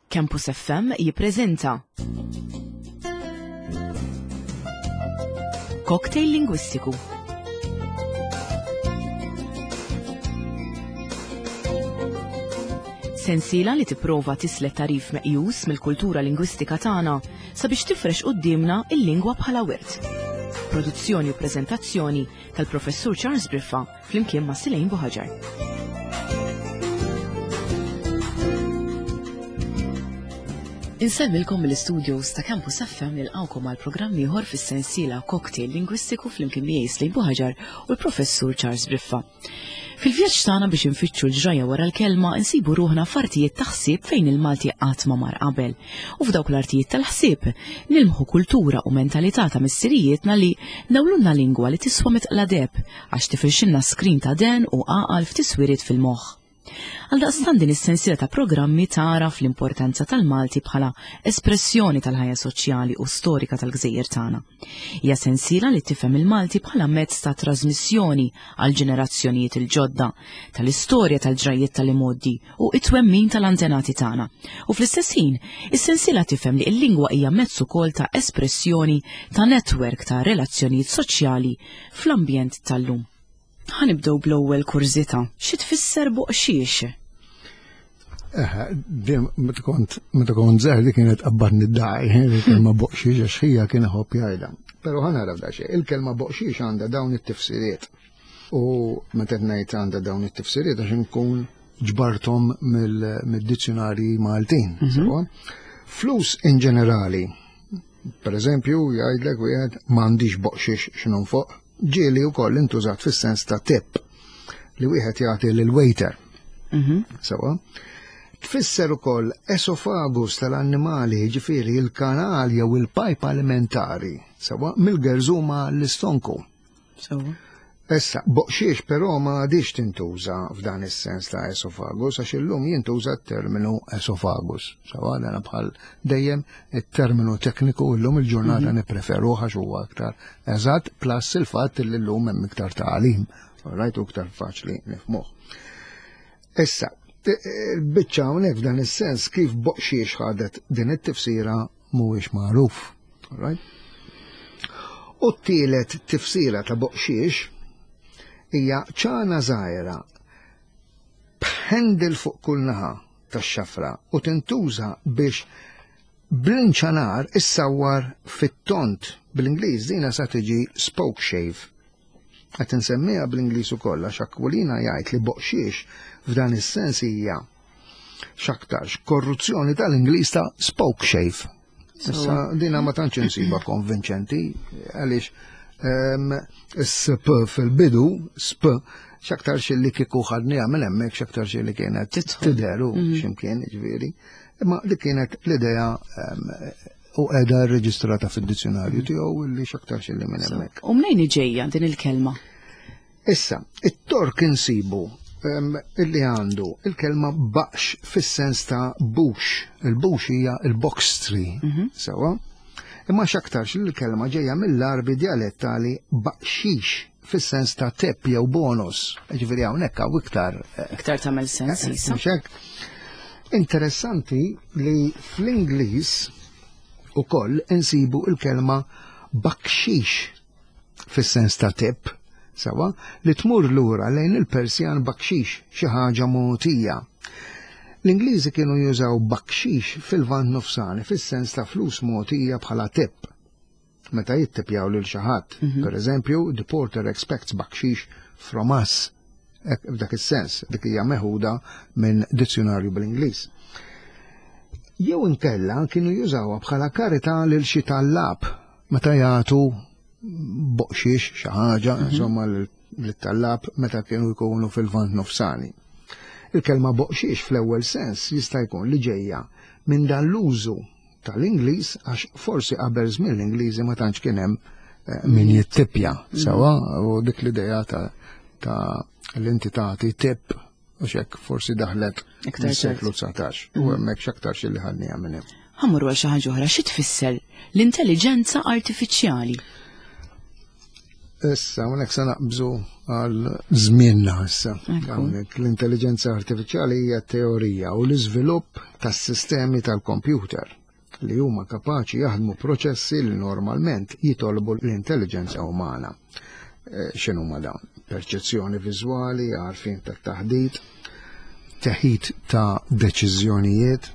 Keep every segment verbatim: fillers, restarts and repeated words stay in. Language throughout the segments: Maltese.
Campus F M jippreżenta Cocktail Lingwistiku. Sensiela li tipprova tislet tarif meqjus mill-kultura lingwistika tagħna sabiex tifrex quddiemna il-lingwa bħala wirt. Produzzjoni u preżentazzjoni tal-Professur Charles Briffa flimkien ma' Silejn Buħaġar. Insellmilkom mill-studios ta' Campus F M, nilqawkom għal programm ieħor fis-sensiela Cocktail Lingwistiku flimkien miegħi Slejn Buħaġar u l-Professur Charles Briffa. Fil-vjaġġ tagħna biex infittxu l-ġraja wara l-kelma, insibu ruħna f'artijiet ta' ħsieb fejn il-Malti qatt ma mar qabel. U f'dawk l-artijiet tal-ħsieb nilmħu kultura u mentalità ta' missirijietna li nawlunna lingwa li tiswa mitqla deheb għax tifirxilna skrin ta' den u għaqal f'tiswiriet fil-moħħ. Għaldaqstant din is-sensiela ta' programmi tagħraf l-importanza tal-Malti bħala espressjoni tal-ħajja soċjali u storika tal-gżejjer tagħna. Hija sensiela li tifhem il-Malti bħala mezz ta' trasmissjoni għal ġenerazzjonijiet il-ġodda tal-istorja, tal-ġrajiet tal-imoddi u it-twemmin tal-antenati tagħna. U fl-istess ħin, is-sensiela tifhem li l-lingwa hija mezz ukoll ta' espressjoni ta' netwerk ta' relazzjonijiet soċjali fl-ambjent tal-lum. Ħa nibdew bl-ewwel kurżità. Xi tfisser boqxiex? Eh, din meta kont meta kont żgħir di kienet qabadni d-daj, il-kelma boqxiex, għax ħija kien iħobb jgħidha. Però ħa nara f'da xejn, il-kelma boqxiex għandha dawn it-tifsiriet. U meta ngħid għandha dawn it-tifsiriet, għax inkun ġbarthom mill-dizzjonarji Maltin. Mhm. Sewwa? Flus in ġenerali, per eżempju, jgħidlek wieħed m'għandix boqxiex x'nonfoq, ġieli wkoll intużat fis-sens ta' tip li wieħed jagħti lil waiter. Mhm. Sewwa. Tfisser ukoll esofagus tal-annimali, ġifieri il-kanal jew il-pajp alimentari, sewwa, mill-gerżuma l-istonku. Sewwa. Issa, boqxiex però ma għadix tintuża f'dan is-sens ta' esofagus, għax illum jintuża t-terminu esofagus. Sewwa, dan bħal dejjem it-terminu tekniku illum il-ġurnata Mhm. nippreferuh għax huwa aktar eżatt, plus il-fatt li llum hemm iktar tagħlim, right, u iktar faċli nifhmuh. Issa, il-biċċa hawnhekk f'dan is-sens kif boqxiex ħadet din it-tifsira mhuwiex magħruf. Right? U t-tielet tifsira ta' boqxiex hija ċana żgħira b'handle fuq kull naħa tax-xafra u tintuża biex bl-inċanar issawwar fit-tont. Bl-Ingliż dina sa tiġi spoke shave. Qed insemmiha bl-Ingliż ukoll għax Aquilina jgħid li boqxiex f'dan is-sens hija x'aktarx korruzzjoni tal-Ingliż ta' spoke shave. Issa dina ma tantx insiba konvinċenti għaliex ehm, S P fil-bidu, S P, x'aktarx li kieku ħadniha minn hemmhekk x'aktarx li kienet tidħol. Tidher u Mhm. x'imkien ġifieri. Imma dik kienet l-idea ehm, u qiegħda rreġistrata fid-dizzjonarju tiegħu li x'aktarx li minn hemmhekk. U mnejn ġejja din il-kelma? Issa, it-Tork insibu em, illi għandu il-kelma baqx fis-sens ta' bush. Il-bush hija il-box tree. Mhm. Sewwa? Imma x'aktarx li l-kelma ġejja mill-Arbi dialettali baqxix fis-sens ta' tip jew bonus. Ġifieri hawnhekk hawn iktar eh, Iktar tagħmel sens issa. Mhux hekk? Interessanti li fl-Ingliż ukoll insibu il-kelma bakxix fis-sens ta' tip, sewwa, li tmur lura lejn il-Persjan bakxix, xi ħaġa mogħtija. L-Ingliżi kienu jużaw bakxix fil-Lvant Nofsani fis-sens ta' flus mogħtija bħala tip meta jittipjaw lil xi ħadd. Mhm. Per eżempju, "The porter expects bakxix from us." Ek, f'dak is-sens, dik hija meħuda minn dizzjonarju bl-Ingliż. Jew inkella kienu jużawha bħala karità lil xi tallab meta jagħtu boqxiex xi ħaġa, insomma, lit-tallab meta kienu jkunu fil-Lvant Nofsani. Il-kelma boqxiex fl-ewwel sens jista' jkun li ġejja minn dan l-użu tal-Ingliż, għax forsi qabel żmien l-Ingliżi ma tantx kien hemm eh, min jittipja sewwa, u dik l-idea ta' ta' l-inti tagħti tip u xek forsi daħlet Iktar mis-seklu dsatax u hemmhekk x'aktarx li ħadniha minn hemm. Ħa mmorru għal xi ħaġa oħra, xi tfisser l-intelligenza artifiċjali? Issa, hawnhekk se naqbżu għal żmienna issa. Hawnhekk l-intelligenza artifiċjali hija teorija u l-iżvilupp tas-sistemi tal-kompjuter li huma kapaċi jaħdmu proċessi li normalment jitolbu l-intelligenza umana. Eh, x'inhuma dawn? Perċezzjoni viżwali, għarfien tat-taħdit, teħid ta' deċiżjonijiet,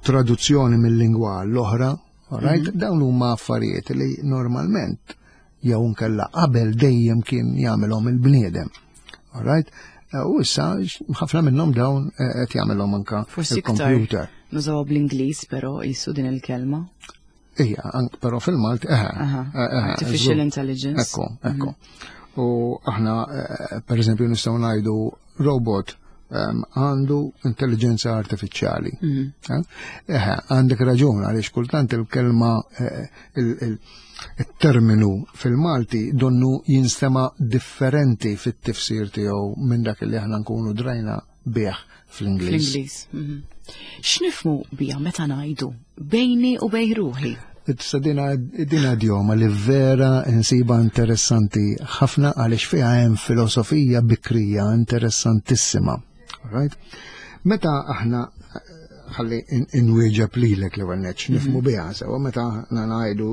traduzzjoni mill-lingwa l-oħra, right? Mhm. Dawn huma affarijiet li normalment jew nkella qabel dejjem kien jagħmelhom il-bniedem. Alright? Eh, u issa ħafna minnhom dawn eh, qed jagħmelhom anka il-computer. Nużawha bl-Ingliż però jisu din il-kelma. Ija, però fil-Malti, eh, Artificial intelligence. Ekku, ekku. Mhm. U aħna, per eżempju, nistgħu ngħidu robot għandu intelligenza artifiċjali. Mhm. Eh, għandek raġun għaliex kultant il-kelma il-terminu fil-Malti donnu jinstema differenti fit-tifsir tiegħu minn dak li aħna nkunu drajna bih fl-Ingliż. Fl-Ingliż. Mhm. X'nifhmu biha meta ngħidu bejni u bejn ruħi? Issa dina dina idjoma li vera insiba interessanti ħafna għaliex fiha hemm filosofija bikrija interessantissima. Right? Meta aħna ħalli inwieġeb lilek li għanneċ, nifhmu biha sewa, meta aħna ngħidu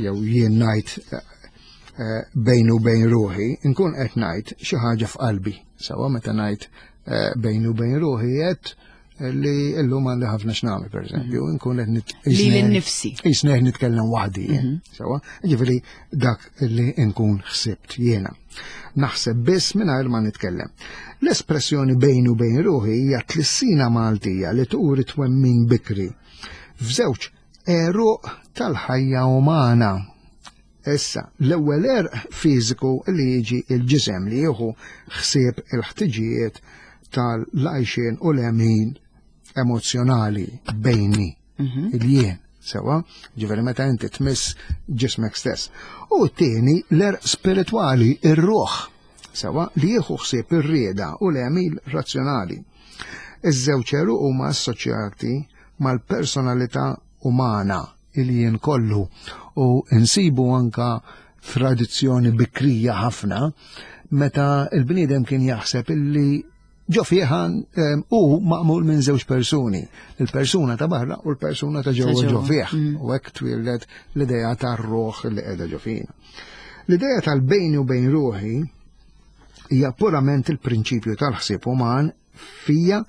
jew jien ngħid eh, bejn u bejn ruħi, nkun qed ngħid xi ħaġa f'qalbi. Sewa meta ngħid eh, bejn u bejn ruħi qed li illum għandi ħafna x'nagħmel pereżempju, mhm. nkun qed nit Lili nnifsi. Qisni qed nitkellem waħdi mhm. Sewa, ġifieri dak li nkun ħsibt jiena. Naħseb biss mingħajr ma nitkellem. L-espressjoni bejn u bejn ruħi hija tlissina Maltija li turi twemmin bikri f'żewġ għeruq tal-ħajja umana. Issa, l-ewwel għerq fiżiku li jiġi il-ġisem li jieħu ħsieb il-ħtiġijiet tal-għajxien u l-għemil emozzjonali bejni, mhm. il-jien, sewa, ġifieri meta inti tmiss ġismek stess. U t-tieni l-għerq spiritwali, ir-ruħ, sewa, li jieħu ħsieb ir-rieda u l-għemil razzjonali. Iż-żewġ għeruq huma assoċjati mal-personalità umana, il-jien kollu, u nsibu anka tradizzjoni bikrija ħafna meta il-bniedem kien jaħseb illi ġo fih u maqmul minn żewġ persuni, il-persuna ta' barra u l-persuna ta' ġewwa ġo fih. Mm. U hekk twieldet l-idea tar-ruħ li qiegħda ġo fina. L-idea tal-bejni u bejn ruħi hija purament il-prinċipju tal-ħsieb uman fija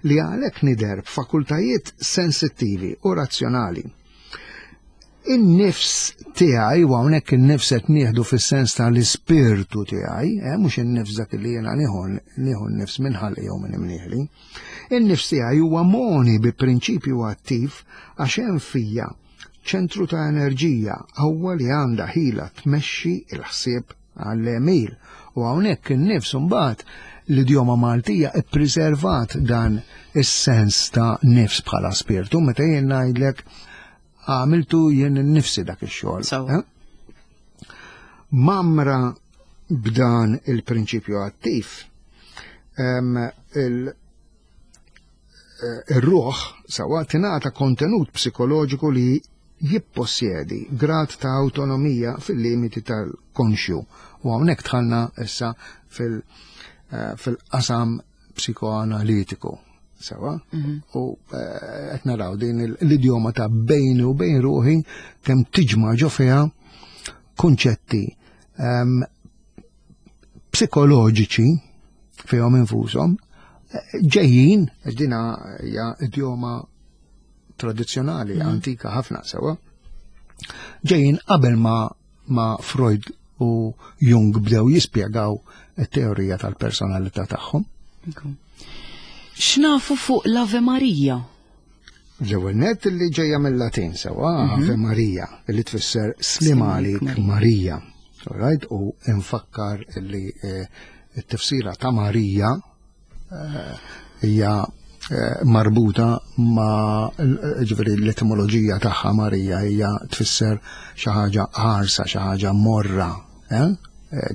li għalhekk nidher b'fakultajiet sensittivi u razzjonali. In-nifs tiegħi, u hawnhekk in-nifs qed nieħdu fis-sens tal-ispirtu tiegħi, eh, mhux in-nifs dak li jiena nieħu nieħu n-nifs minn ħalqi jew minn imnieħli. In-nifs tiegħi huwa moni bi prinċipju attiv għax hemm fija ċentru ta' enerġija qawwa li għandha ħila tmexxi il-ħsieb għall-għemil. U hawnhekk in-nifs imbagħad l-idjoma Maltija ippreservat dan is-sens ta' nifs bħala spirtu meta jien ngħidlek għamiltu jien nifsi dak ix-xogħol. Eh? Mamra b'dan il-prinċipju attiv, eh, il-ruħ sawa tingħata kontenut psikoloġiku li jippossjedi grad ta' autonomija fil-limiti tal-konxju. U hawnhekk dħalna issa fil- eh, fil-qasam psikoanalitiku. Sewa, mhm. u eh, qed naraw din l-idjoma ta' bejni u bejn ruħi kemm tiġma' ġo fiha kunċetti ehm, psikoloġiċi fihom infushom eh, ġejjin, dina hija idjoma tradizzjonali, mhm. antika ħafna sewa, ġejjin qabel ma ma Freud u Jung bdew jispjegaw it-teorija tal-personalità tagħhom. X'nafu fuq l-Ave Maria? L-ewwel nett li ġejja mill-Latin sewa mhm. Ave Maria li tfisser slim għalik Marija. Right? U nfakkar li eh, t-tifsira ta' Marija eh, hija eh, marbuta ma' ġifieri l-etimoloġija tagħha Marija hija tfisser xi ħaġa ħarsa, xi ħaġa morra. Eh?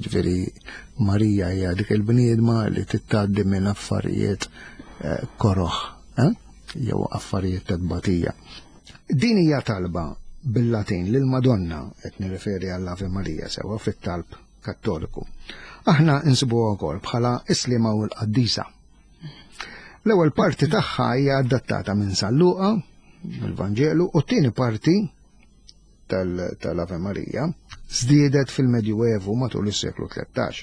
Ġifieri Marija hija dik il-bniedma li tittgħaddi minn affarijiet koroħ, jew affarijiet ta' tbatija. Din hija talba bil-Latin lil Madonna, qed nirreferi għall-Ave Maria sewa fit-talb Kattoliku. Aħna insibuha wkoll bħala Islima u l-Qaddisa. L-ewwel parti tagħha hija adattata minn San Luqa, mill-Vanġelu, u t-tieni parti tal-Ave Maria żdiedet fil-Medjuevu matul is-seklu tlettax.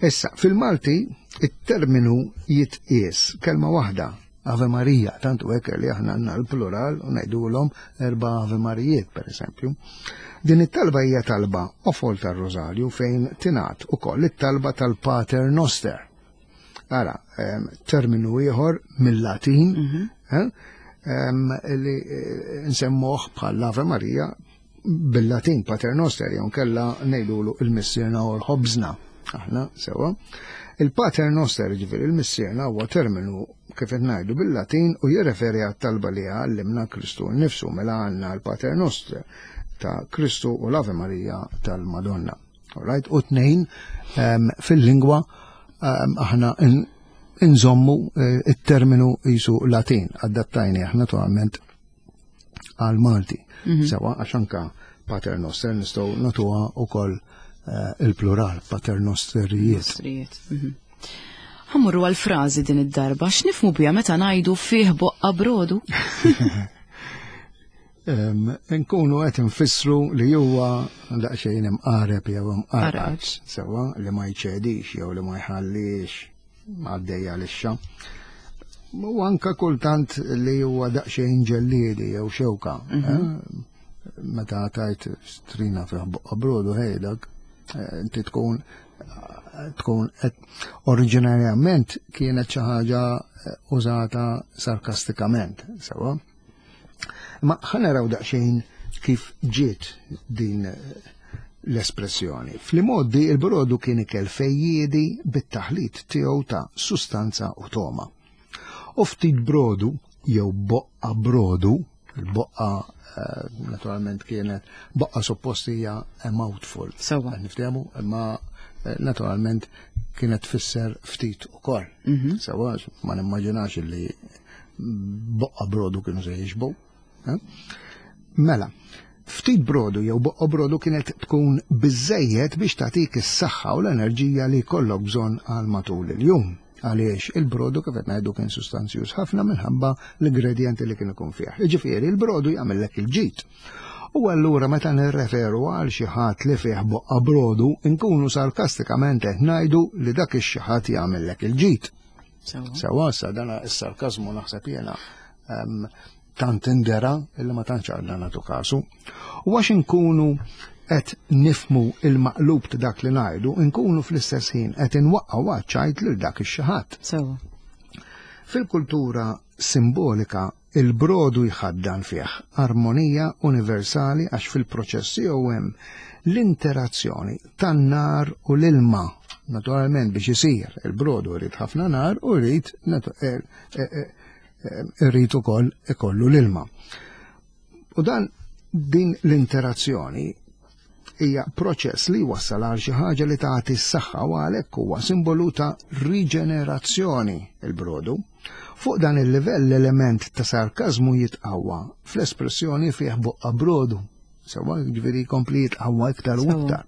Issa, fil-Malti, it-terminu jitqies kelma waħda, Ave Maria, tant u hekk li aħna għandna l-plural u ngħidulhom erba' Ave Marijiet, per eżempju. Din it-talba hija talba ofol tar-Rożarju fejn tingħad ukoll it-talba tal-Pater Noster. Ara, terminu ieħor mill-Latin, eh, li nsemmuh bħal Ave Maria bil-Latin Pater Noster, jew kella ngħidulu il-Missierna u l-Ħobżna. Aħna sewa. Il-Pater Noster, ġifieri il-Missierna, huwa terminu kif qed ngħidu bil-Latin u jirreferi għat-talba li għallimna Kristu nnifsu, mela għandna l-Pater Noster ta' Kristu u l-Ave Maria tal-Madonna. Alright? U tnejn fil-lingwa aħna inżommu it-terminu jisu Latin, adattajni aħna naturalment għal Malti. Sewa, għax anka Pater Noster nistgħu nagħtuha ukoll il-plural, Pater Nosterijiet. Ħa mmorru għal-frażi din id-darba, x'nifhmu biha meta ngħidu fih boqqa brodu? Nkunu qed nfissru li huwa daqsxejn imqareb jew imqarqaġ, sewa li ma jċedix jew li ma jħallix għaddejja lixxa. U anka kultant li huwa daqsxejn ġelliedi jew xewka. Meta tajt strina fih boqqa brodu ħejdak, inti tkun tkun oriġinarjament kienet xi ħaġa użata sarkastikament, sewa. Ma ħa naraw daqsxejn kif ġiet din l-espressjoni. Fl-modi il-brodu kien ikel fejjiedi bit-taħlit tiegħu ta' sustanza u toma. U ftit brodu jew boqqa brodu, il-boqqa naturalment kienet boqqa suppost hija a mouthful. Sewa. Niftehmu, imma naturalment kienet tfisser ftit ukoll. Sewa, ma nimmaġinax li boqqa brodu kienu se jixbu. Mela, ftit brodu jew boqqa brodu kienet tkun biżejjed biex tagħtik is-saħħa u l-enerġija li jkollok bżonn għal matul il-jum. Għaliex il-brodu kif qed ngħidu kien sustanzjuż ħafna minħabba l-ingredjenti li kien ikun fih. Jiġifieri il-brodu jagħmellek il-ġid. U allura meta nirreferu għal xi ħadd li fih boqqa brodu, nkunu sarkastikament qed ngħidu li dak ix-xi ħadd jagħmellek il-ġid. Sewa, sa dana is-sarkażmu naħseb jiena tant indera illi ma tantx għandna nagħtu kasu. U għax inkunu qed nifmu il-maqlub ta' dak li ngħidu, nkunu fl-istess ħin qed inwaqqgħu għaċ-ċajt lil dak ix-xi ħadd. Sewa. Fil-kultura simbolika il-brodu jħaddan fih armonija universali għax fil-proċess tiegħu hemm l-interazzjoni tan-nar u l-ilma. Naturalment biex isir il-brodu jrid ħafna nar u jrid irrid ukoll ikollu l-ilma. U dan din l-interazzjoni hija proċess li wassal għal xi ħaġa li tagħti s-saħħa u għalhekk huwa simbolu ta' riġenerazzjoni il-brodu. Fuq dan il-livell l-element ta' sarkażmu jitqawwa fl-espressjoni fih boqqa brodu. Sewa ġifieri jkompli jitqawwa iktar u iktar.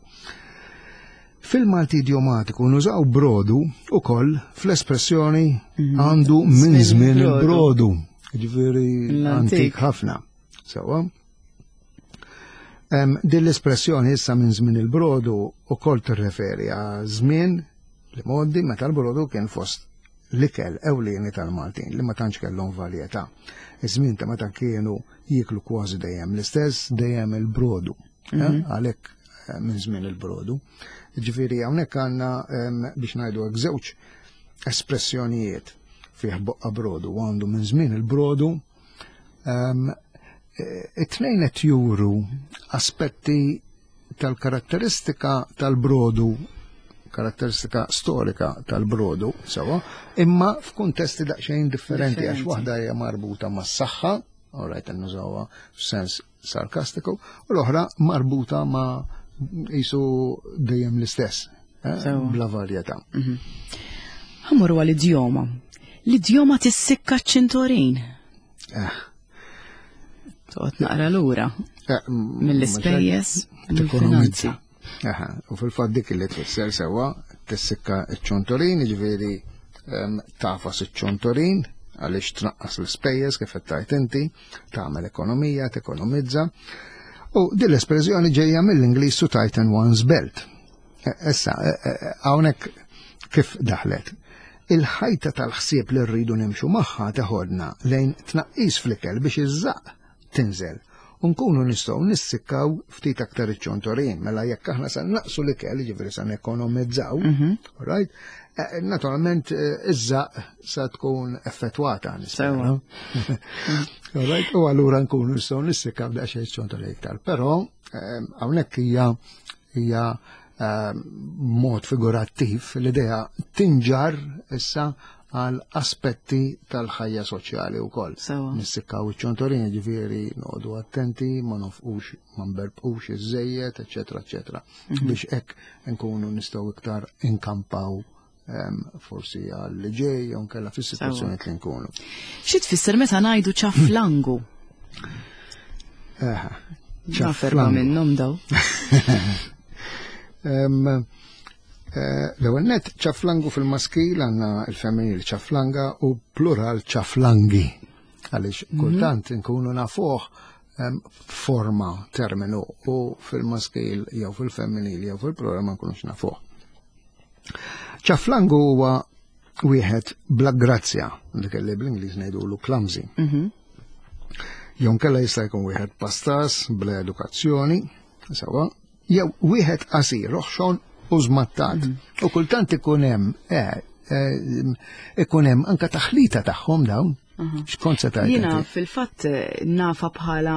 Fil-Malti idiomatiku nużaw brodu ukoll fl-espressjoni għandu minn żmien il-brodu. Ġifieri antik ħafna. Sewa. Din l-espressjoni issa minn żmien il-brodu ukoll tirreferi għal żmien li modi meta l-brodu kien fost l-ikel ewlieni tal-Maltin li ma tantx kellhom varjetà. Iż-żmien ta' meta kienu jieklu kważi dejjem l-istess, dejjem il-brodu. Għalhekk minn żmien il-brodu. Ġifieri hawnhekk għandna biex ngħidu hekk żewġ espressjonijiet fih boqqa brodu u għandu minn żmien il-brodu. It-tnejn qed juru aspetti tal-karatteristika tal-brodu, karatteristika storika tal-brodu, sewa, imma f'kuntesti daqsxejn differenti, għax waħda hija marbuta mas-saħħa, all right, nużawha f'sens sarkastiku, u l-oħra marbuta ma' jisu dejjem l-istess, bla varjetà. Ħa mmorru għall-idjoma. L-idjoma tissikka ċ-ċintorin. Toqgħod naqra lura. Eh, m- Mill-ispejjeż, Tekonomizza. mill-finanzi. Aha, u fil-fatt dik li tfisser sewwa tissikka ċ-ċontorin, jiġifieri em, tagħfas iċ-ċontorin għaliex tnaqqas l-ispejjeż kif qed tgħid inti, tagħmel ekonomija, tekonomizza. U din l-espressjoni ġejja mill-Ingliż to tighten one's belt. E- Issa, e- e- hawnhekk kif daħlet? Il-ħajta tal-ħsieb li rridu nimxu magħha teħodna lejn tnaqqis fl-ikel biex iż-żaqq tinżel. U nkunu nistgħu nissikkaw ftit aktar iċ-ċontorin, mela jekk aħna sa naqsu l-ikel, jiġifieri sa nekonomizzaw, right? Eh, Naturalment eh, iż-żaqq sa tkun effettwata nispera. Sewwa. All right, u allura nkunu nistgħu nissikkaw daqsxejn ċontorin iktar. Però eh, hawnhekk hija hija eh, mod figurattiv l-idea tinġar issa għal aspetti tal-ħajja soċjali wkoll. Sewwa. Nissikkaw iċ-ċontorin, ġifieri noqogħdu attenti, ma nofqux, ma nberbqux iż-żejjed, eċetera, eċetera. Biex hekk nkunu nistgħu iktar inkampaw em, forsi għal ġej jew nkella fis-sitwazzjoni li nkunu. Xi tfisser meta ngħidu ċaflangu? Eħe, Naf erba' ċaflangu. minnhom daw. Em, eh, L-ewwel net ċaflangu fil-maskil għandna il-femminil ċaflanga u plural ċaflangi. Għaliex kultant nkunu nafuh em, forma terminu u fil-maskil jew fil-femminil jew fil-plural ma nkunux nafuh. Ċaflangu huwa wieħed bla grazzja, dik li bl-Ingliż ngħidulu clumsy. Jew nkella jista' jkun wieħed pastas bla edukazzjoni, sewwa, jew wieħed qasir, oħxon u żmattat. U kultant ikun hemm eh, eh, ikun hemm anka taħlita tagħhom dawn. X'kont se tgħid Jiena inti? fil-fatt eh, nafa bħala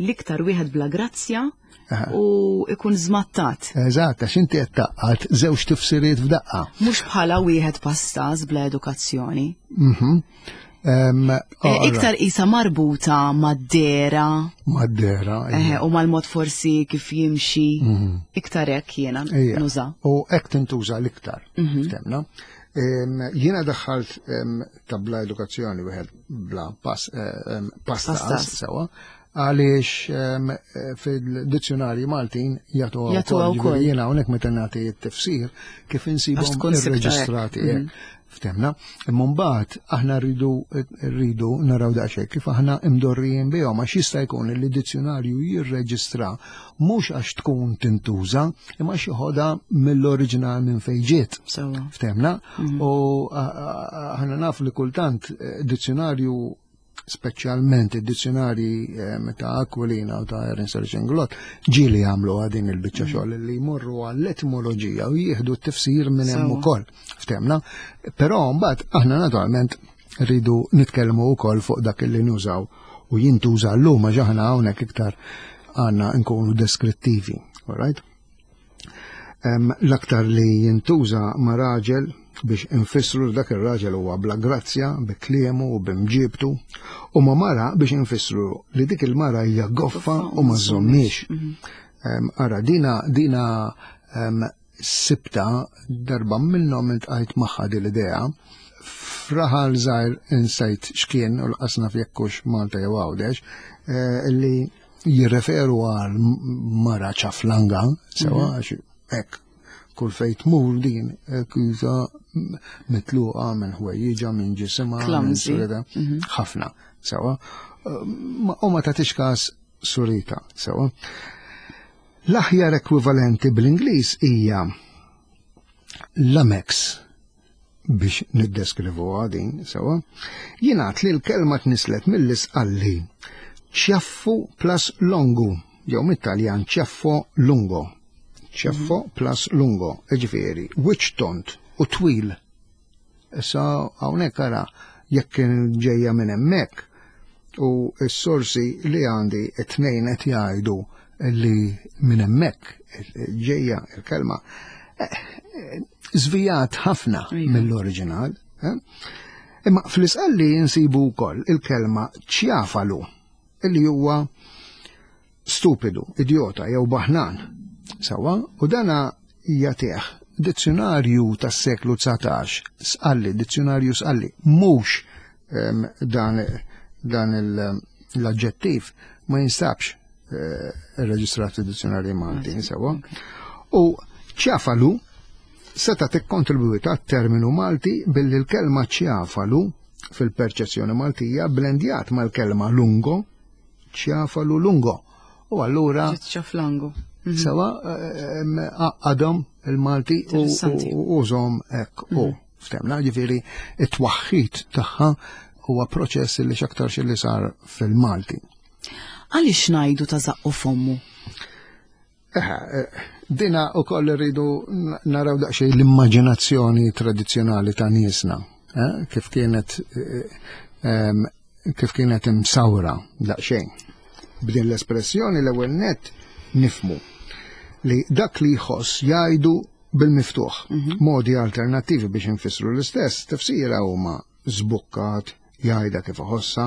l-iktar wieħed bla grazzja Aha. u ikun żmattat. Eżatt, għax inti qed tgħaqqad żewġ tifsiriet f'daqqa. Mhux bħala wieħed pastas bla edukazzjoni. Mhm. Em, Eh, oh, Iktar isa marbuta mad-dehra Mad-dehra. eh, u mal-mod forsi kif jimxi. Iktar hekk jiena Ija. nuża. U hekk tintuża l-iktar, ftemna. Em, Jiena daħħalt em, ta' bla edukazzjoni wieħed bla pas, eh, em, pastas, Pastas. sewwa, għaliex em, eh, fil-dizzjonarji Maltin jagħtuha Jagħtuha wkoll. wkoll. Ġifieri Jiena hawnhekk meta nagħti t-tifsir kif insibhom Għax tkun sibta hekk. irreġistrati hekk. Ftemna, imma mbagħad aħna rridu rridu naraw daqsxejn kif aħna imdorrijin bihom għax jista' jkun li dizzjonarju jirreġistra mhux għax tkun tintuża imma għax joħodha mill-oriġinal minn fejn ġiet. Sewwa. Ftemna, u a- a- aħna naf li kultant eh, dizzjonarju speċjalment id-dizzjonarji eh, ta' Aquilina u ta' Ernst Inglott ġieli jagħmlu din il-biċċa xogħol li jmorru għall-etimoloġija u jieħdu t-tifsir minn hemm Sewwa. ukoll. Ftemna, però mbagħad aħna naturalment rridu nitkellmu wkoll fuq dak li nużaw u jintuża llum għax aħna hawnhekk iktar għandna nkunu deskrittivi, all right? Em, L-aktar li jintuża ma' raġel biex infissru li dak ir-raġel huwa bla grazzja, bi kliemu u bimġibtu, u ma' mara biex infissru li dik il-mara hija goffa u ma żommiex. Em, Ara, dina, dina em, sibta darba minnhom iltqajt magħha din l-idea f'raħal żgħir insejt x'kien u lanqas naf jekk hux Malta jew Għawdex, eh, li jirreferu għal mara ċaflanga, sewwa għax hekk kull fejn tmur din eh, kisa mitluqa minn ħwejjiġa minn ġisimha minn Clumsy. surita ħafna sewwa Eh, ma- u ma tagħtix każ surita sewwa. L-aħjar ekwivalenti bl-Ingliż hija lummox biex niddeskrivu din sewwa. Jingħad li l-kelma tnislet mill-Isqalli ċjaffu plus longu, jew mit-Taljan ciaffo lungo. Ciaffo plus lungo, ġifieri, wiċċ tond u twil. Issa hawnhekk ara jekk kien ġejja minn hemmhekk u s-sorsi li għandi it-tnejn qed jgħidu li minn hemmhekk ġejja il-kelma eh, eh, żvijat ħafna Iva. mill-oriġinal. eh? Imma fl-Isqalli insibu wkoll il-kelma ċjafalu illi huwa stupidu, idiota jew baħnan. Sewwa, u dana jagħtih dizzjonarju tas-seklu dsatax, Sqalli, dizzjonarju Sqalli, mhux em, dan, dan il- l-aġġettiv ma jinstabx eh, irreġistrat fid-dizzjonarji Malti, sewwa. U ċjafalu seta' tikkontribwita terminu Malti billi l-kelma ċjafalu fil-perċezzjoni Maltija blendjat mal-kelma lungo, ċjafalu lungo. U allura Ċaflangu. Sewwa għadhom il-Malti u Interessanti. u użahom hekk u ftemna, ġifieri it-twaħħid tagħha huwa proċess li x'aktarx li sar fil-Malti. Għaliex ngħidu ta' zaqqu fommu? Eħe, eh, dina u koll rridu naraw daqsxejn l-immaġinazzjoni tradizzjonali ta' niesna, eh, kif kienet eh, em, kif kienet imsawra daqsxejn. B'din l-espressjoni l-ewwel net nifhmu li dak li jħoss jgħidu bil-miftuħ. Modi alternattivi biex infissru l-istess tifsira huma żbukkat, jgħidha kif iħossha,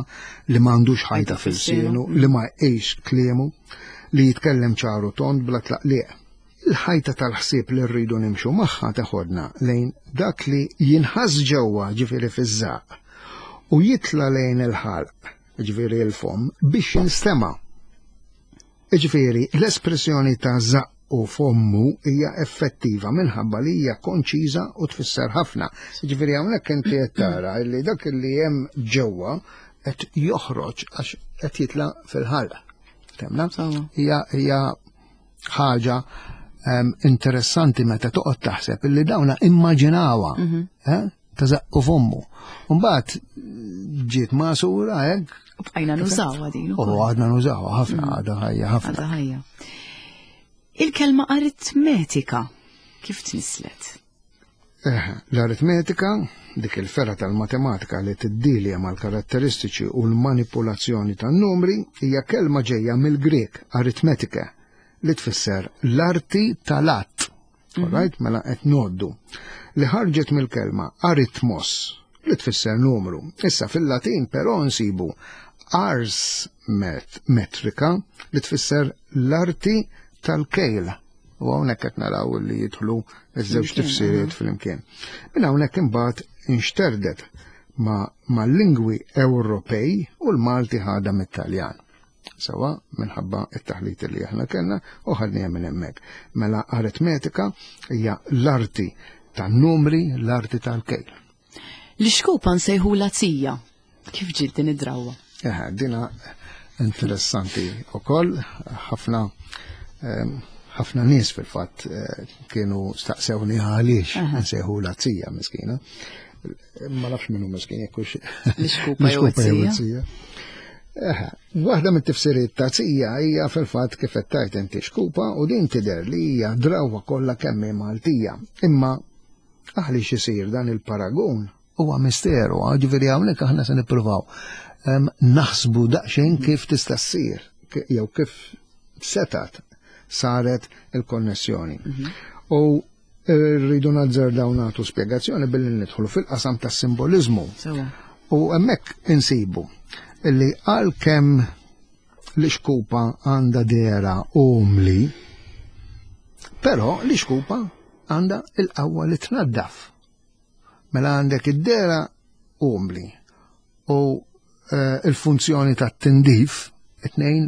li m'għandux ħajta f'ilsienu, li ma jgħix kliemu, li jitkellem ċaru tond bla tlaqliq. Il-ħajta tal-ħsieb li rridu nimxu magħha teħodna lejn dak li jinħass ġewwa, ġifieri fiż-żaq, u jitla lejn il-ħalq, ġifieri il-fom, biex jinstema'. Ġifieri, l-espressjoni ta' żaqqu fommu hija effettiva minħabba li hija konċiża u tfisser ħafna. Ġifieri hawnhekk inti qed tara li dak li hemm ġewwa qed joħroġ għax qed jitla fil-ħalq. Temna? Sewwa. Hija hija ħaġa em, interessanti meta toqgħod taħseb illi dawna immaġinawha, eh, ta' żaqqu fommu. Mbagħad ġiet magħsura hekk. U bqajna nużawha din U ukoll. għadna nużawha ħafna, għadha ħajja ħafna. Għadha ħajja. Il-kelma aritmetika kif tnislet? Eh, L-aritmetika, dik il-fergħa tal-matematika li tiddilja mal-karatteristiċi u l-manipulazzjoni tan-numri, hija kelma ġejja mill-Grek aritmetika li tfisser l-arti tal-għadd. Alright, mela qed ngħoddu. Li ħarġet mill-kelma aritmos li tfisser numru. Issa fil-Latin però nsibu ars met metrika li tfisser l-arti tal-kejl. U hawnhekk qed naraw li jidħlu iż-żewġ Flimkien, tifsiriet flimkien. Minn hawnhekk imbagħad inxterdet ma' mal-lingwi Ewropej u l-Malti ħadha mit-Taljan. Sewwa minħabba it-taħlit li aħna kellna u ħadniha minn hemmhekk. Mela aritmetika hija l-arti tan-numri, l-arti tal-kejl. L-ixkupa nsejħulha tija. Kif ġiet din id-drawwa? Eh, dina interessanti u koll, ħafna em, ħafna nies fil-fatt eh, kienu staqsewni għaliex nsejħulha tija miskina. Ma nafx minnu miskin, jekk hux L-ixkupa jew l-ixkupa tija. Eħe, waħda mit-tifsiriet ta' tija hija fil-fatt kif qed tgħid inti xkupa u din tidher li hija drawwa kollha kemm hi Maltija. Imma għaliex isir dan il-paragun huwa misteru, ġifieri hawnhekk aħna se nippruvaw em, naħsbu daqsxejn kif tista' ssir ki- jew kif setat saret il-konnessjoni. U rridu nazzardaw nagħtu spjegazzjoni billi nidħlu fil-qasam tas-simbolizmu. Sewwa. U hemmhekk insibu illi għalkemm l-ixkupa għandha dehra umli, però l-ixkupa għandha il-qawwa li tnaddaf. Mela għandek id-dehra umli u eh, il-funzjoni ta' tindif it-tnejn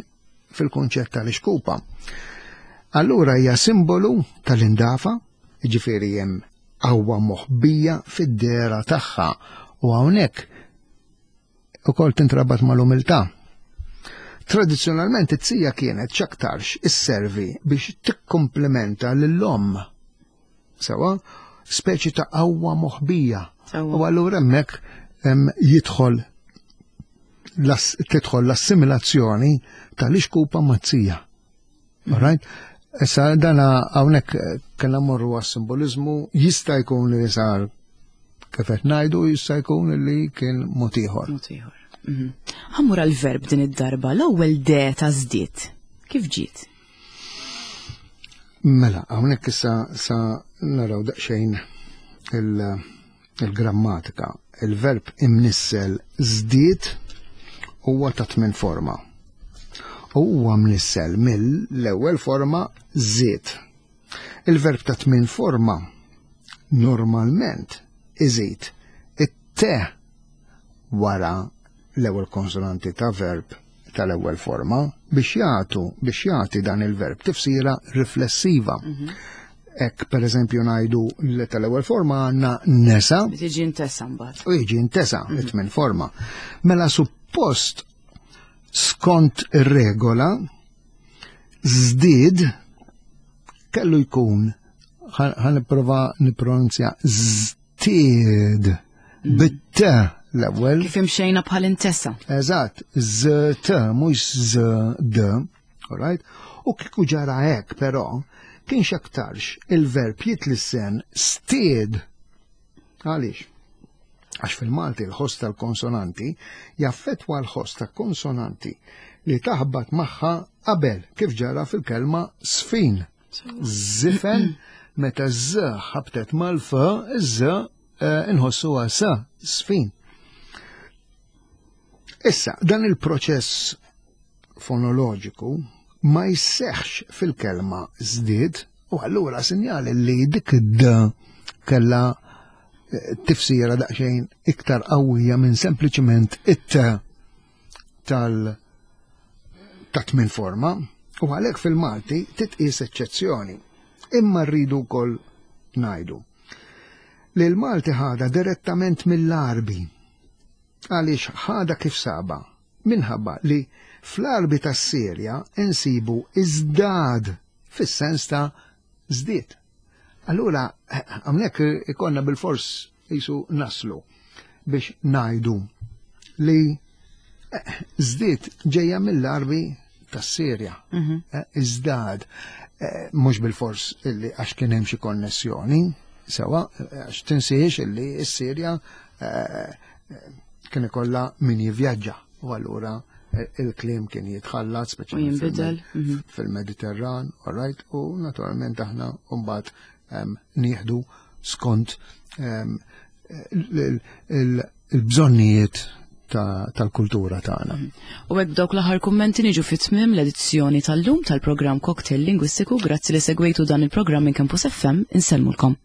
fil-konċett tal-ixkupa. Allura hija simbolu tal-indafa, ġifieri hemm qawwa moħbija fid-dehra tagħha u hawnhekk ukoll tintrabat mal-umiltà. Tradizzjonalment it-tija kienet x'aktarx isservi biex tikkomplementa lill-omm. Sewwa, speċi ta' qawwa moħbija. Sewwa. U allura hemmhekk em, jidħol las- tidħol l-assimilazzjoni tal-ixkupa mat-tija. Alright? Issa dana hawnhekk eh, kellna mmorru għas-simbolizmu, jista' jkun li sar kif qed ngħidu, jista' jkun li kien mod ieħor. Mod ieħor. Mhm. Ħa mmur għal-verb din id-darba, l-ewwel de ta' żdied. Kif ġiet? Mela, hawnhekk issa sa naraw daqsxejn il- il-grammatika. Il-verb imnissel żdied huwa ta' tmien forma. U huwa mnissel mill-ewwel forma żied. Il-verb ta' tmien forma normalment iżid it-te wara l-ewwel konsonanti ta' verb tal-ewwel forma biex jagħtu biex jagħti dan il-verb tifsira riflessiva. Hekk, per eżempju, ngħidu li tal-ewwel forma għandna nesa Tiġi intesa mbagħad. U jiġi intesa it-tmien forma. Mela suppost, skont ir-regola, żdied kellu jkun, ħa nipprova nippronunzja, żtied bit-t l-ewwel. Kif imxejna bħal intesa. Eżatt, z t mhux z d, alright? U kieku ġara hekk però, kien x'aktarx il-verb jitlissen stied. Għaliex? Għax fil-Malti l-ħoss tal-konsonanti jaffetwa l-ħoss ta' konsonanti li taħbat magħha qabel, kif ġara fil-kelma sfin. Zifen, meta z ħabtet mal-f, z eh, inħossuha s, sfin. Issa, dan il-proċess fonoloġiku ma jseħx fil-kelma żdied u allura sinjali li dik id kella eh, tifsira daqsxejn iktar qawwija minn sempliċement it tal ta' tmien forma, u għalhekk fil-Malti titqis eċċezzjoni. Imma rridu wkoll ngħidu li l-Malti ħada direttament mill-Arbi. Għaliex ħada kif saba? Minħabba li fl-Arbi tas-Sirja insibu iżdad fis-sens ta' żdied. Allura, hawnhekk ikonna bil-fors jisu naslu biex ngħidu li eh, żdied ġejja mill-Arbi tas-Sirja. Eh, Iżdad, eh, mhux bil-fors illi għax kien hemm xi konnessjoni, sewa, eh, għax tinsiex illi s-Sirja eh, eh, kien ikollha min jivvjaġġa u allura eh, il-kliem kien jitħallat, U speċjalment jinbidel. fil- fil-Mediterran, all right, u naturalment aħna mbagħad em, nieħdu skont em, il- il- il-bżonnijiet ta- tal-kultura tagħna. U hekk dawk l-aħħar kummenti niġu fit tmiem l-edizzjoni tal-lum tal-programm Cocktail Lingwistiku. Grazzi li segwejtu dan il-programm minn Campus F M. Insellmulkom.